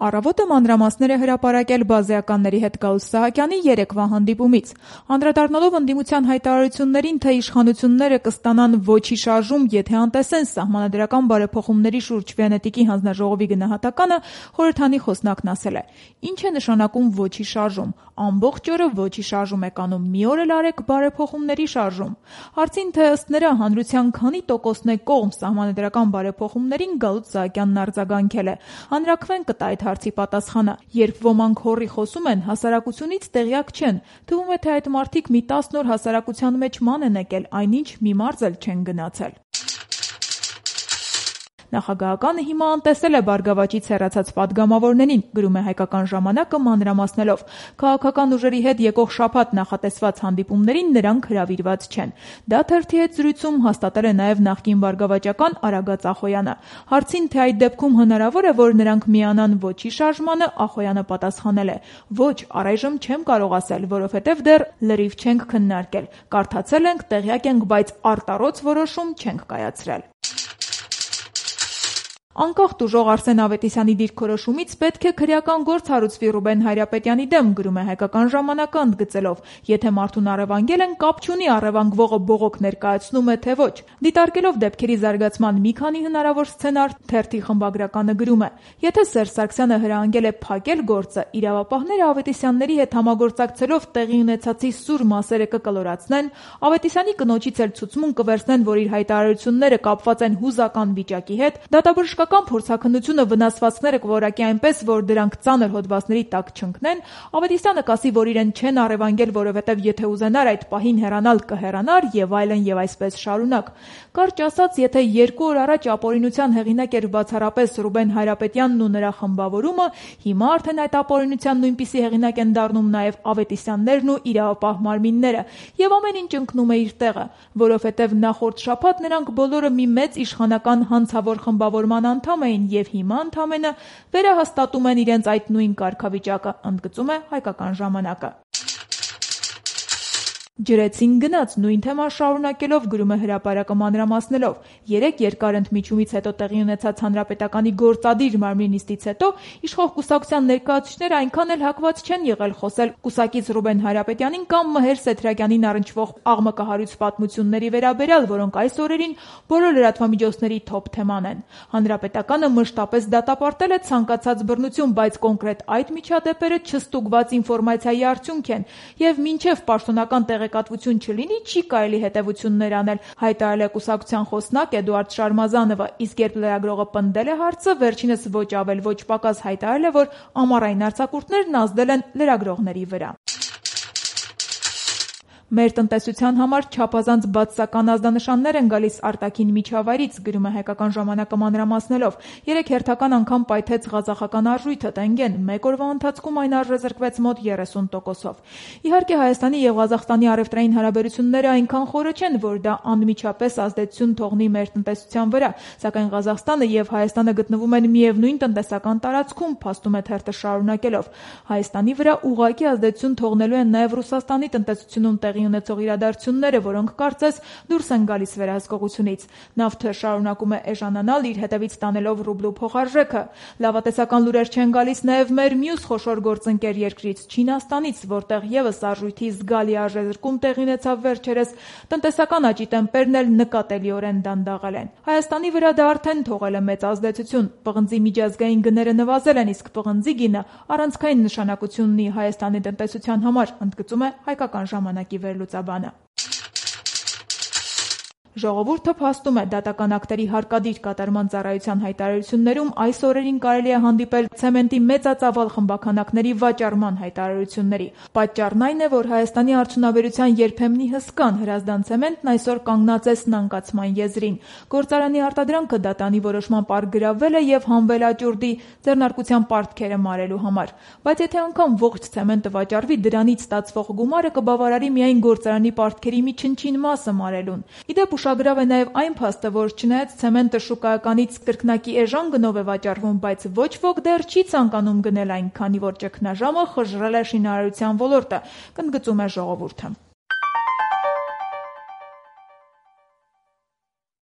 Առավոտը մանրամասներ է հրապարակել բազեականների հետ Գաուս Սահակյանի երեկվա հանդիպումից։ Անդրադառնալով ընդդիմության հայտարարություններին, թե իշխանությունները կստանան ոչի շարժում, եթե անտեսեն սահմանադրական բարեփոխումների շուրջ Վենետիկի հանձնաժողովի գնահատականը, խորհրդանի խոսնակն ասել է. «Ինչ է նշանակում ոչի շարժում։ Ամբողջ օրը ոչի շարժում եք անում, մի օր էլ արեք բարեփոխումների շարժում»։ Հարցին, թե ըստ նրա հանրության քանի տոկոսն է կողմ սահմանադրական բարեփոխումներին, Գաուս Սահակյանն արձագանքել է. «Հանրաքվեն կտա այդ հարցի պատասխանը։ Երբ ոմանք հոռի խոսում են, հասարակությունից տեղյակ չեն։ Թվում է, թե այդ մարդիկ մի 10 օր հասարակության մեջ ման են եկել, այնինչ մի մարզ էլ չեն գնացել»։ Նախագահականը հիմա անտեսել է Բարգավաճից հեռացած պատգամավորներին, գրում է Հայկական ժամանակը մանրամասնելով. քաղաքական ուժերի հետ եկող շաբաթ նախատեսված հանդիպումներին նրանք հրավիրված չեն։ Դա թերթի հետ զրույցում հաստատել է նաև նախկին բարգավաճական Արագած Ախոյանը։ Հարցին, թե այդ դեպքում հնարավոր է, որ նրանք միանան ոչի շարժմանը, Ախոյանը պատասխանել է. «Ոչ, առայժմ չեմ կարող ասել, որովհետև դեռ լրիվ չենք քննարկել։ Կարդացել ենք, տեղյակ ենք, բայց արտառոց որոշում չենք կայացրել»։ Անկախ տուժող Արսեն Ավետիսյանի դիրքորոշումից պետք է քրեական գործ հարուցվի Ռուբեն Հայրապետյանի դեմ, գրում է Հայկական ժամանակը ընդգծելով. «Եթե մարդուն առևանգել են, կապ չունի առևանգվողը բողոք ներկայացնում է, թե ոչ»։ Դիտարկելով դեպքերի զարգացման մի քանի հնարավոր սցենար, թերթի խմբագրականը գրում է. «Եթե Սերժ Սարգսյանը հրահանգել է փակել գործը, իրավապահները Ավետիսյանների հետ համագործակցելով տեղի ունեցածի սուր մասերը կկլորացնեն, Ավետիսյանի կնոջից էլ ցուցմուն կվերցնեն, որ իր հայտարարությունները կապված են հուզական վիճակի հետ, դատաբժշկական փորձաքննությունը վնասվածքները կորակի այնպես, որ դրանք ծանր հոդվածների տակ չընկնեն, Ավետիսյանը կասի, որ իրեն չեն առևանգել, որովհետև եթե ուզենար այդ պահին հեռանալ կհեռանար եւ այսպես շարունակ։ Կարճ ասած, եթե 2 օր առաջ ապօրինության հեղինակ էր բացառապես Ռուբեն Հայրապետյանն ու նրա խմբավորումը, հիմա արդեն այդ ապօրինության նույնպիսի հեղինակ են դառնում նաև Ավետիսյաններն ու իրավապահ մարմինները, եւ ամեն ինչ ընկնում է իր տեղը, որովհետև նախորդ շաբաթ նրանք բոլորը մի մեծ իշխանական հանցավոր խմբավորման անդամ էին եւ հիմա ընդամենը վերահաստատում են իրենց այդ նույն կարգավիճակը», ընդգծում է Հայկական ժամանակը։ Ջրեցին գնաց, նույն թեման շարունակելով, գրում է Հրապարակը մանրամասնելով. «Երեկ երկար ընդմիջումից հետո տեղի ունեցած հանրապետականի գործադիր մարմնի նիստից հետո իշխող կուսակցության ներկայացուցիչները այնքան էլ հակված չեն եղել խոսել կուսակից Ռուբեն Հայրապետյանին կամ Մհեր Սեդրակյանին առնչվող աղմկահարույց պատմությունների վերաբերյալ, որոնք այս օրերին բոլոր լրատվամիջոցների թոփ թեման են։ Հանրապետականը մշտապես դատապարտել է ցանկացած բռնություն, բայց կոնկրետ այդ միջադեպերը չստուգված ինֆորմացիայի արդյունք են, եւ մինչեւ պաշտոնական տեղեկատվություն չլինի, չի կարելի հետևություններ անել», հայտարարել է կուսակցության խոսնակ Էդուարդ Շարմազանովը, իսկ երբ լրագրողը պնդել է հարցը, վերջինս ոչ ավել ոչ պակաս հայտարարել է, որ ամառային արձակուրդներն ազդել են լրագրողների վրա։ «Մեր տնտեսության համար չափազանց բացասական ազդանշաններ են գալիս արտաքին միջավայրից», գրում է Հայկական ժամանակը մանրամասնելով. «Երեկ հերթական անգամ պայթեց ղազախական արժույթը տենգեն, մեկ օրվա ընթացքում այն արժեզրկվեց մոտ 30%-ով։ Իհարկե Հայաստանի եւ Ղազախստանի առևտրային հարաբերությունները այնքան խորը չեն, որ դա անմիջապես ազդեցություն թողնի մեր տնտեսության վրա, սակայն Ղազախստանը եւ Հայաստանը գտնվում են միևնույն տնտեսական տարածքում», փաստում է թերթը շարունակելով. «Հայաստանի վրա ուղղակի ազդեցություն թողնելու են նաեւ Ռուսաստանի տնտեսությունում տեղի ունեցող իրադարձությունները, որոնք կարծես դուրս են գալիս վերահսկողությունից։ Նավթը շարունակում է էժանանալ, իր հետևից տանելով ռուբլու փոխարժեքը։ Լավատեսական լուրեր չեն գալիս նաև մեր մյուս խոշոր գործընկեր երկրից՝ Չինաստանից, որտեղ եւս արժույթի զգալի արժեզրկում տեղի ունեցավ վերջերս, տնտեսական աճի տեմպերն էլ նկատելիորեն դանդաղել են։ Հայաստանի վրա դա արդեն թողել է մեծ ազդեցություն։ Պղնձի միջազգային գները նվազել են, իսկ պղնձի գինը առանցքային նշանակություն ունի Հայաստանի տնտեսության համար», ընդգծում է Հայկական ժամանակի վերլուծաբանը։ Ժողովուրդը փաստում է, դատական ակտերի հարկադիր կատարման ծառայության հայտարարություններում այս օրերին կարելի է հանդիպել ցեմենտի մեծածավալ խմբաքանակների վաճառման հայտարարությունների։ Պատճառն այն է, որ Հայաստանի արդյունաբերության երբեմնի հսկան Հրազդան ցեմենտն այսօր կանգնած է սնանկացման եզրին։ Գործարանի արտադրանքը դատանի որոշմամբ արգրավվել է եւ հանվել աճուրդի ձեռնարկության պարտքերը մարելու համար։ Բայց եթե անգամ ողջ ցեմենտը վաճառվի, դրանից ստացվող գումարը կբավարարի միայն գործարանի պարտքերի մի չնչին մասը մարելուն։ Իդեպ ուշագրավ է նաև այն փաստը, որ չնայած ցեմենտը շուկայականից կրկնակի էժան գնով է վաճառվում, բայց ոչ ոք դեռ չի ցանկանում գնել այն, քանի որ ճգնաժամը խժռել է շինարարության ոլորտը, ընդգծում է Ժողովուրդը։